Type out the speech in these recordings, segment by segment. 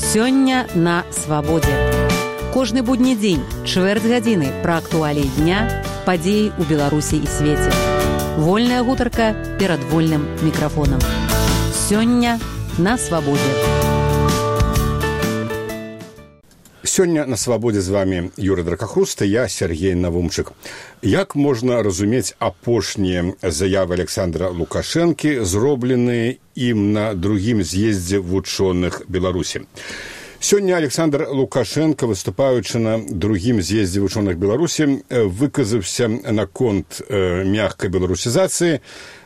Сёння на свабодзе. Кожны будні дзень, чвэрць гадзіны пра актуаліі дня, падзеі ў Беларусі і свеце. Вольная гутарка перад вольным мікрафонам. Сёння на свабодзе. Сёння на свабодзе з вами Юрий Дракахруст, я Сергей Навумчык. Як можна разумець апошнія заявы Александра Лукашэнкі, зробленыя ім на другім з'ездзе вучоных Беларусі? Сёння Александр Лукашенко, выступаючы на другім з'ездзе вучоных Беларусі, выказаўся наконт мягкай беларусізацыі,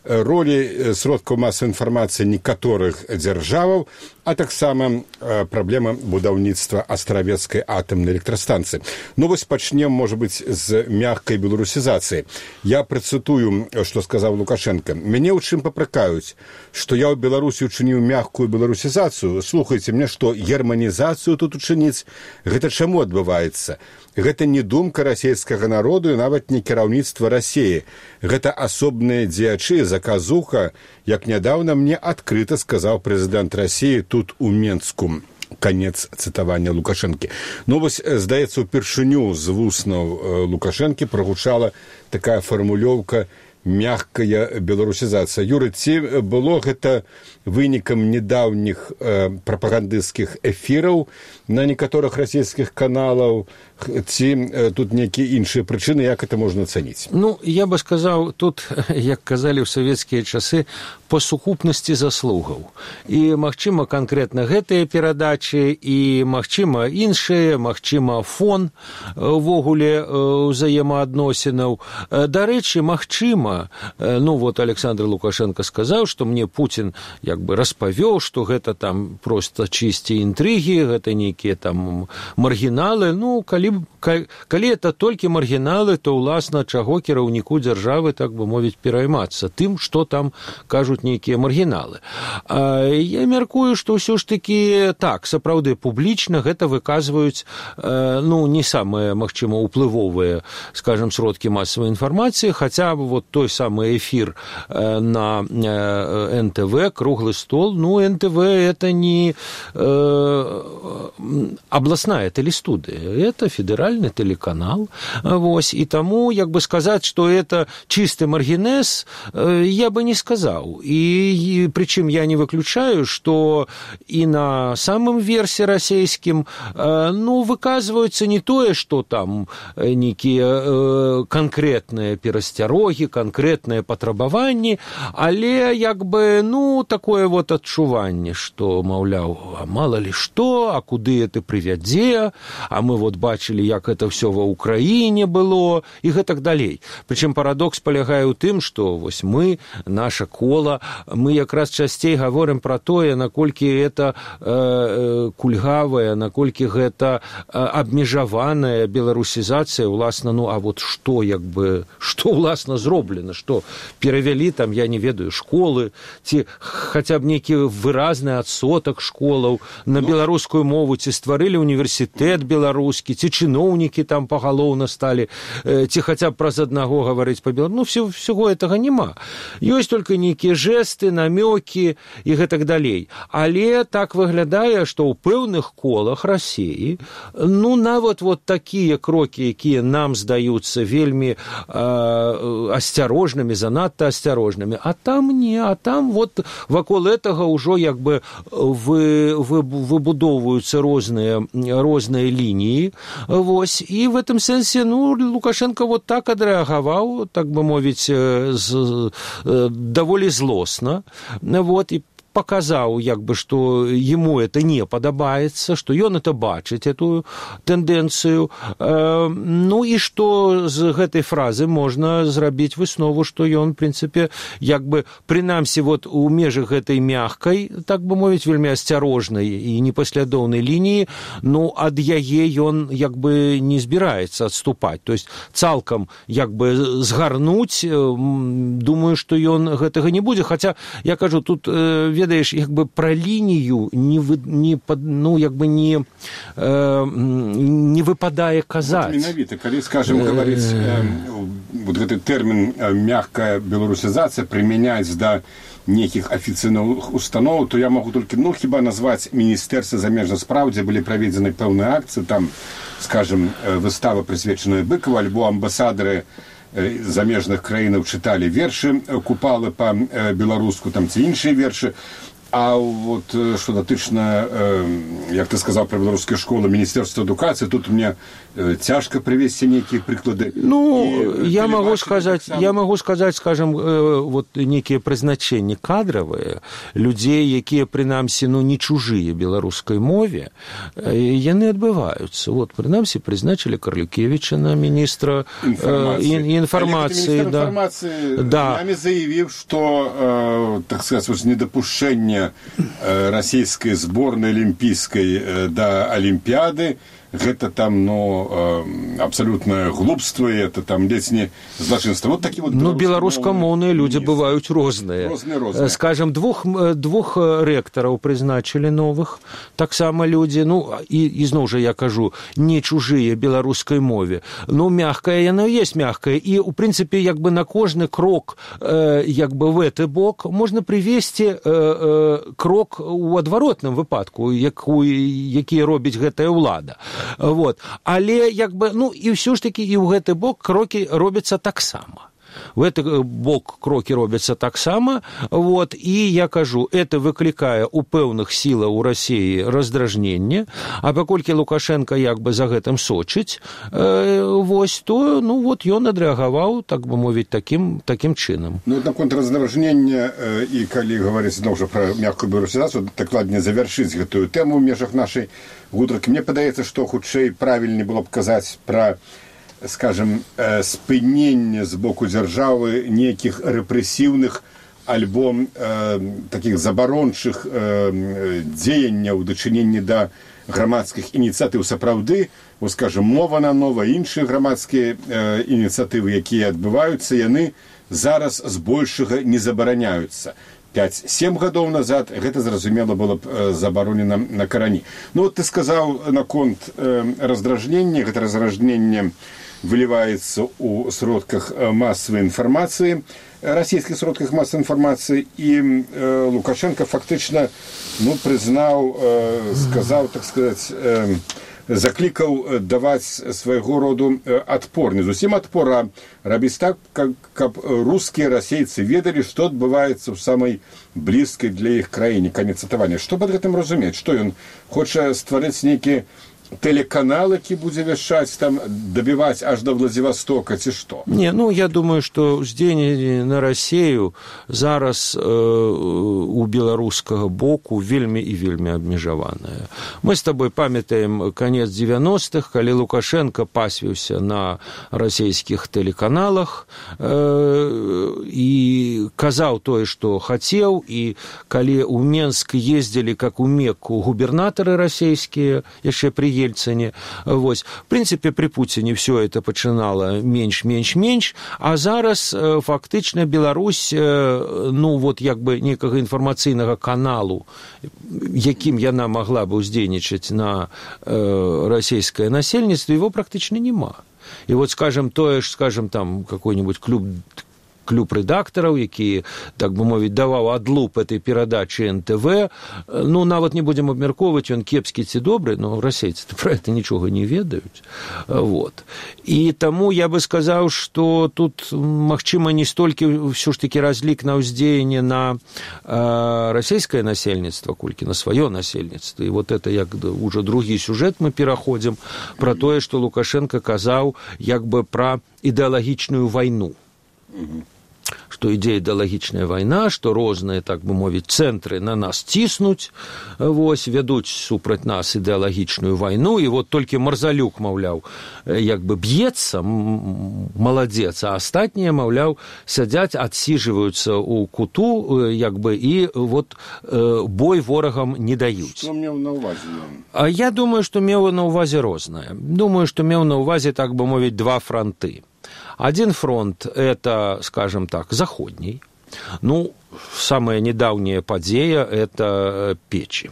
ролі сродкаў масавай інфармацыі некаторых дзяржаваў, а таксама праблема будаўніцтва астравецкай атамнай электрастанцыі. Ну вось пачнем, можа быць, з мягкай беларусізацыі. Я працытую, што сказаў Лукашенко. Мяне ў чым папракаюць, што я ў Беларусі учыніў мягкую беларусізацыю. Слухайце, мне што, германізацыю тут учыніць? Гэта чаму адбываецца? Гэта не думка расійскага народу і нават не кіраўніцтва Расіі. Гэта асобныя дзеячы, заказуха, як нядаўна мне адкрыта сказаў прэзідэнт Расіі тут у Менску. Канец цытавання Лукашэнкі. Ну вось, здаецца, упершыню з вуснаў Лукашэнкі прагучала такая фармулёўка «мягкая беларусізацыя». Юрый, ці было гэта вынікам недаўніх прапагандысцкіх эфіраў на некаторых расійскіх каналаў, ці тут нейкія іншыя прычыны, як это можна ацаніць? Ну, я бы сказаў, тут, як казалі ў савецкія часы, па сукупнасці заслугаў. І, магчыма, канкрэтна гэтыя перадачы, і, магчыма, іншыя, магчыма, фон увогуле ўзаемаадносінаў. Дарэчы, магчыма, ну, вот Александр Лукашенко сказаў, што мне Путин як бы распавёў, што гэта там проста чысці інтрыгі, гэта нейкія там маргіналы. Ну, калі это толькі маргіналы, то, уласна, чаго кіраўніку дзяржавы, так бы мовіць, пераймацца тым, што там кажуць нейкія маргіналы. Я мяркую, што ўсё ж такі так, сапраўды публічна гэта выказваюць, ну, не самыя, магчыма, уплывовыя, скажем, сродкі масавай інфармацыі, хаця вот той самы эфір на НТВ, круглый стол, ну, НТВ это не областная телестудия, это федеральный телеканал, вось, и тому, як бы сказать, что это чистый маргинез, я бы не сказал. И причем я не выключаю, что и на самом версе российским, ну, выказываются не то, что там некие конкретные перасцярогі, конкретные патрабаванні, але, як бы, ну, такое вот адчуванне, што, маўляў, а мало ли што, а куды это прывядзе, а мы вот бачылі, як это все ва Украіне было, і гэтак далей. Прычым парадокс палягае ў тым, што вось мы, наша кола, мы якраз часцей гаворым пра тое, наколькі это кульгавая, наколькі гэта абмежаваная беларусізацыя, уласна, ну, а вот што, як бы, што, уласна, зроблена, што перавялі там, я не ведаю, школы, ці хаця б нейкі выразны адсотак школаў на беларускую мову, ці стварылі універсітэт беларускі, ці чыноўнікі там пагалоўна сталі, ці хаця б праз аднаго гаварыць па-беларуску. Ну, всего этого няма. Ёсць толькі нейкія жэсты, намёкі і гэтак далей. Але так выглядае, што ў пэўных колах Расіі, ну, нават вот такія крокі, якія нам здаюцца вельмі асцярожнымі, занадта асцярожнымі, а там не, а там вот вакол этого ўжо як бы выбудоўваюцца розныя лініі, вось, і в этом сэнсе, ну, Лукашенко вот так адрэагаваў, так бы мовіць, даволі злосна, вот, і показаў, як бы, што ему это не падабаецца, што ён это бачыць, эту тэндэнцыю. Ну, і што з гэтай фразы можна зрабіць выснову, што ён, в прынцыпе, як бы, прынамсі, вот, у межах гэтай мягкай, так бы мовіць, вельмі асцярожнай і непаслядоўнай лініі, ну, ад яе ён, як бы, не збіраецца адступаць. То есть, цалкам, як бы, згарнуць, думаю, што ён гэтага не будзе. Хаця, я кажу, тут ведаеш, як бы пра лінію не выпадае казаць. Вот менавіта, калі, скажем, гаварыць вот гэты тэрмін мягкая беларусізацыя прымяняць да нейкіх афіцыйных устаноў, то я магу толькі, хіба назваць Міністэрства замежных спраў, дзе былі праведзены пэўныя акцыі, там, скажем, выстава, прысвечаная Быкаву, альбо амбасадары замежных краінаў чыталі вершы Купалы па-беларуску, там, ці іншыя вершы. А вот что датычна, як ты сказал про беларускія школы, Міністэрства адукацыі, тут мне цяжка прывесці нейкія прыклады. Я могу сказать, скажем, вот некие прызначэнні кадравыя людзей, якія прынамсі не чужыя беларускай мове, яны адбываюцца. Вот прынамсі прызначылі Карлюкевіча на міністра інфармацыі. Да. Я заявіў, што, так сказать, недапушчэнне расійскай зборнай алімпійскай да алімпіяды, гэта там, абсолютное глупство, это там ледзь не злачынство. Вот такие вот беларускамоўныя людзі бываюць розныя. Скажем, двух рэктараў прызначылі новых, таксама людзі, і зноў жа я кажу, не чужыя беларускай мове. Мягкая яна есть мягкая, і у прынцыпе як бы на кожны крок як бы в гэты бок можна прывесці крок у адваротным выпадку, які робіць гэтая ўлада. Вот. Але як бы, і ўсё ж такі і ў гэты бок крокі робяцца таксама. В гэты бок крокі робяцца таксама, вот, і я кажу, это выклікае у пэўных сілаў у Расіі раздражненне, а паколькі Лукашенко як бы за гэтым сочыць, вось, то, вот, ён адрэагаваў, так бы мовіць, такім чынам. Наконт раздражнення, і калі гаварыць зноў жа пра мяккую беларусізацыю, дакладней завяршыць гэтую тэму ў межах нашай гутаркі, мне падаецца, што хутчэй правільней было б казаць пра, скажем, спыненне з боку дзяржавы нейкіх рэпрэсіўных альбо такіх забарончых дзеянняў у дачыненні да грамадскіх ініцыятыў. Сапраўды, скажем, мова на нова, іншыя грамадскія ініцыятывы, якія адбываюцца, яны зараз збольшага не забараняюцца. 5-7 гадоў назад гэта, зразумела, было б забаронена на карані. Вот ты сказаў наконт раздражнення, гэта раздражненне выліваецца ў сродках масавай інфармацыі, расійскіх сродках масавай інфармацыі, і Лукашенко фактычна, прызнаў, сказаў, так сказаць, заклікаў даваць свайго роду адпор. Не зусім адпор, а рабіць так, каб рускія расейцы ведалі, што адбываецца ў самай блізкай для іх краіне. Канец цытавання. Што пад гэтым разумець? Што ён хоча стварыць нейкі телеканал, які будзе вяшчаць, там, дабіваць аж да Владзівастока, ці што? Не, я думаю, што ўздзеянне на Расею зараз у беларускага боку вельмі і вельмі абмежаванае. Мы з табой памятаем канец 90-х, калі Лукашенко пасвіўся на расійскіх тэлеканалах і казаў тое, што хацеў, і калі ў Менск ездзілі, как у Мекку, губернатары расійскія, яшчэ пры Ельцине. В принципе, при Путине все это починало меньш, а зараз фактично Беларусь, як бы некого информаційного каналу, яким яна могла бы уздзейнічаць на российское насельніцтва, его практично нема. И вот, скажем, там какой-нибудь клуб рэдактараў, які, так бы мовіць, даваў адлуп этой перадачы НТВ. Нават не будзем абмяркоўваць, ён кепскі ці добры, но расейцы пра гэта нічога не ведаюць. Вот. І таму я бы сказаў, што тут, магчыма, не столькі ўсё ж такі разлік на ўздзеянне на расійскае насельніцтва, колькі на сваё насельніцтва. І вот это як уже другі сюжэт мы пераходзім пра тое, што Лукашенко казаў як бы пра ідэалагічную вайну. Што ідзе ідэалагічная вайна, што розныя, так бы мовіць, цэнтры на нас ціснуць, вядуць супраць нас ідэалагічную вайну, і вот толькі Марзалюк, маўляў, як бы б'ецца, маладзец, а астатнія, маўляў, сядзяць, адсіжваюцца ў куту, як бы, і вот бой ворагам не даюць. Што меў на ўвазе? А я думаю, што меў на ўвазе рознае. Думаю, што меў на ўвазе, так бы мовіць, два фронты. Один фронт – это, скажем так, заходний. Самая недавняя подея – это Печи.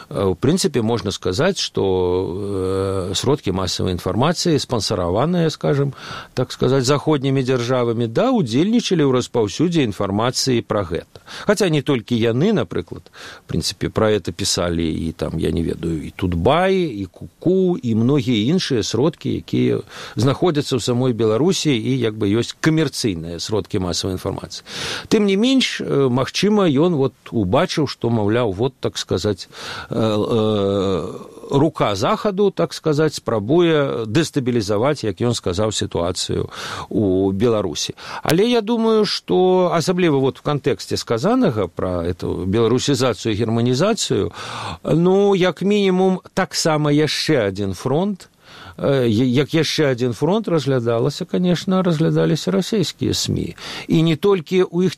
в принципе, можно сказать, что сродкі массовой информации, спонсораваныя, скажем, так сказать, заходнімі дзяржавамі, да, удзельнічалі ў распаўсюдзе інфармацыі пра гэта. Хаця не толькі яны, напрыклад, в принципе, пра это пісалі і там, я не ведаю, і Тутбай, і Куку, і многія іншыя сродкі, якія знаходзяцца ў самой Беларусі і як бы ёсць камерцыйныя сродкі масавай інфармацыі. Тым не менш, магчыма, ён вот убачыў, што, маўляў, вот, так сказать, рука захаду, так сказать, спрабуе дэстабілізаваць, як ён сказаў, сітуацыю у Беларусі. Але я думаю, што асабліва вот в кантэксце сказанага пра эту беларусізацыю і германізацыю, ну, як мінімум, таксама яшчэ адзін фронт, як яшчэ адзін фронт разглядалася, конечно, разглядаліся расійскія СМІ. І не толькі ў іх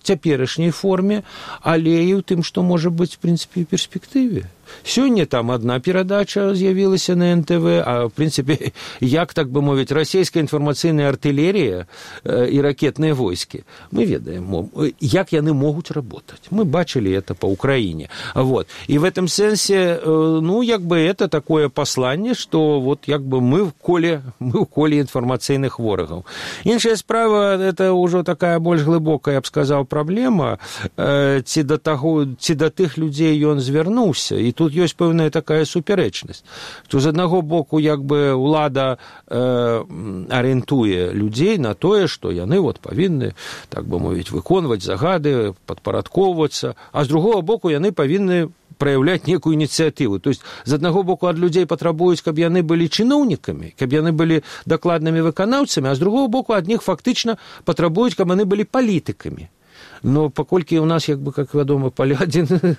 цяперашняй форме, але і ў тым, што можа быць, в принципе, ў перспектыве. Сёння там одна перадача з'явілася на НТВ, а, в принципе, як, так бы мовіць, расійская інфармацыйная артылерія і ракетныя войскі. Мы ведаем, як яны могуць работать. Мы бачили это по Украине. Вот. И в этом сенсе, ну, як бы это такое послание, что вот як бы мы в коле інфармацыйных ворагаў. Іншая справа, это ўжо такая больш глыбокая, я б сказаў, праблема, ці да тых людзей ён звярнуўся. І тут ёсць пэўная такая супярэчнасць, што з аднаго боку як бы ўлада арыентуе людзей на тое, што яны вот павінны, так бы мовіць, выконваць загады, падпарадкоўвацца, а з другого боку яны павінны праяўляць некую ініцыятыву. То есть з аднаго боку ад людзей патрабуюць, каб яны былі чыноўнікамі, каб яны былі дакладнымі выканаўцамі, а з другого боку ад них фактычна патрабуюць, каб яны былі палітыкамі. Но паколькі у нас, як бы, как вядома, адзін,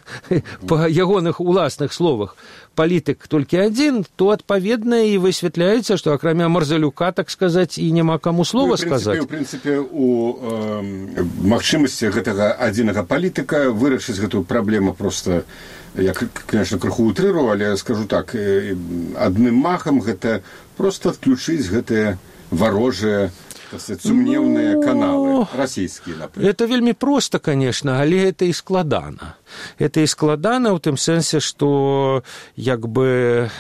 па ягоных уласных словах, палітык толькі адзін, то, адпаведна, і высвятляецца, што акрамя Марзалюка, так сказаць, і няма каму слова сказаць. У прынцыпе, у магчымасці гэтага адзінага палітыка вырашыць гэтую праблему проста, я, конечно, крыху утрырую, але скажу так, адным махам гэта проста адключыць гэтыя варожыя сумневные каналы российские, например. Это вельмі проста, конечно, але это і складана. Это і складана ў тым сэнсе, што як бы,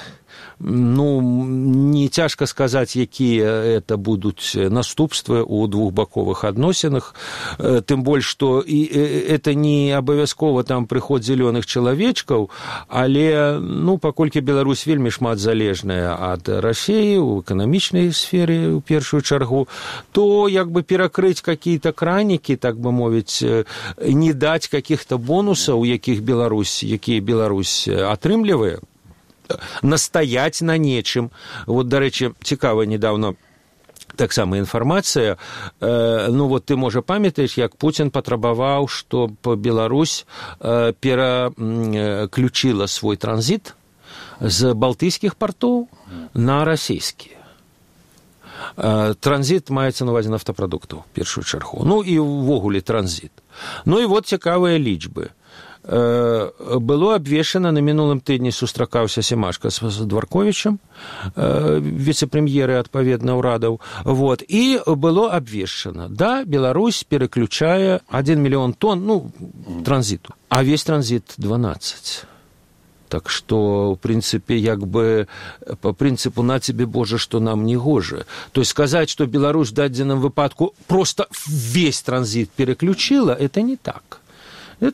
ну, не цяжка сказаць, якія это будуць наступствы ў двухбаковых адносінах, тым больш, што і это не абавязкова там прыход зялёных чалавечкаў, але, ну, паколькі Беларусь вельмі шмат залежная ад Расіі ў эканамічнай сферы, ў першую чаргу, то як бы перакрыць какие-то кранікі, так бы мовіць, не даць каких-то бонусаў, якія Беларусь атрымлівае, настаять на нечым. Вот, дарэчы, цікава, недавно таксама інфармацыя, ну вот ты, можа, памятаеш, як Путин патрабаваў, што Беларусь пераключила свой транзит з балтыйскіх партоў на расійскія. Транзит маецца на ўвазе нафтапрадуктаў, першую чаргу. Ну і ўвогуле транзит. Ну і вот цікавыя лічбы. Было абвешчана, на мінулым тыдні сустракаўся Семашка з Дварковічам, віцэ-прэм'еры, адпаведна, ўрадаў, вот, і было абвешчана, да, Беларусь пераключае 1 мільён тонн, ну, транзіту, а весь транзит 12. Так што, в прынцыпе, як бы по прынцыпу «на тебе, Боже, што нам не гожа». То есть сказаць, што Беларусь в дадзеным выпадку просто весь транзит переключила, это не так.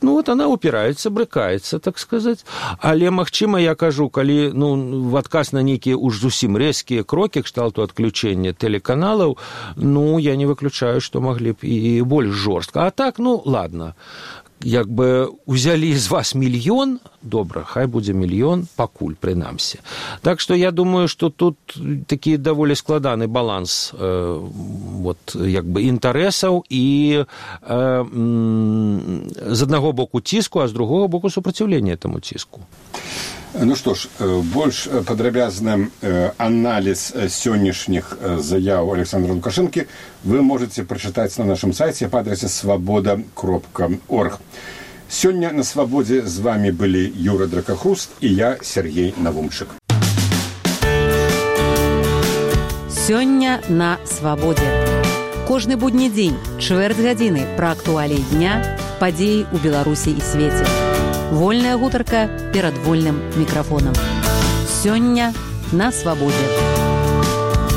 Ну, вот она упирается, брыкаецца, так сказать. Але, магчыма, я кажу, калі, ну, в адказ на нейкія уж зусім рэзкія крокі кшталту адключэння тэлеканалаў, ну, я не выключаю, што маглі б і больш жорстка. А так, ну, ладно. Як бы узялі з вас мільён, добра, хай будзе мільён, пакуль, прынамсі. Так што я думаю, што тут такі даволі складаны баланс вот, як бы інтарэсаў і з аднаго боку ціску, а з другого боку супраціўлення этому ціску. Ну что ж, больш падрабязны аналіз сённяшніх заяў Александра Лукашэнкі вы можете прачытаць на нашым сайце па адрасе свабода.орг. Сёння на Свабодзе з вами былі Юра Дракахруст і я, Сергей Навумчык. Сёння на Свабодзе. Кожны будні дзень, чвэрць гадзіны пра актуаліі дня, падзеі ў Беларусі і свеце. Вольная гутарка перад вольным мікрафонам. Сёння на свабодзе.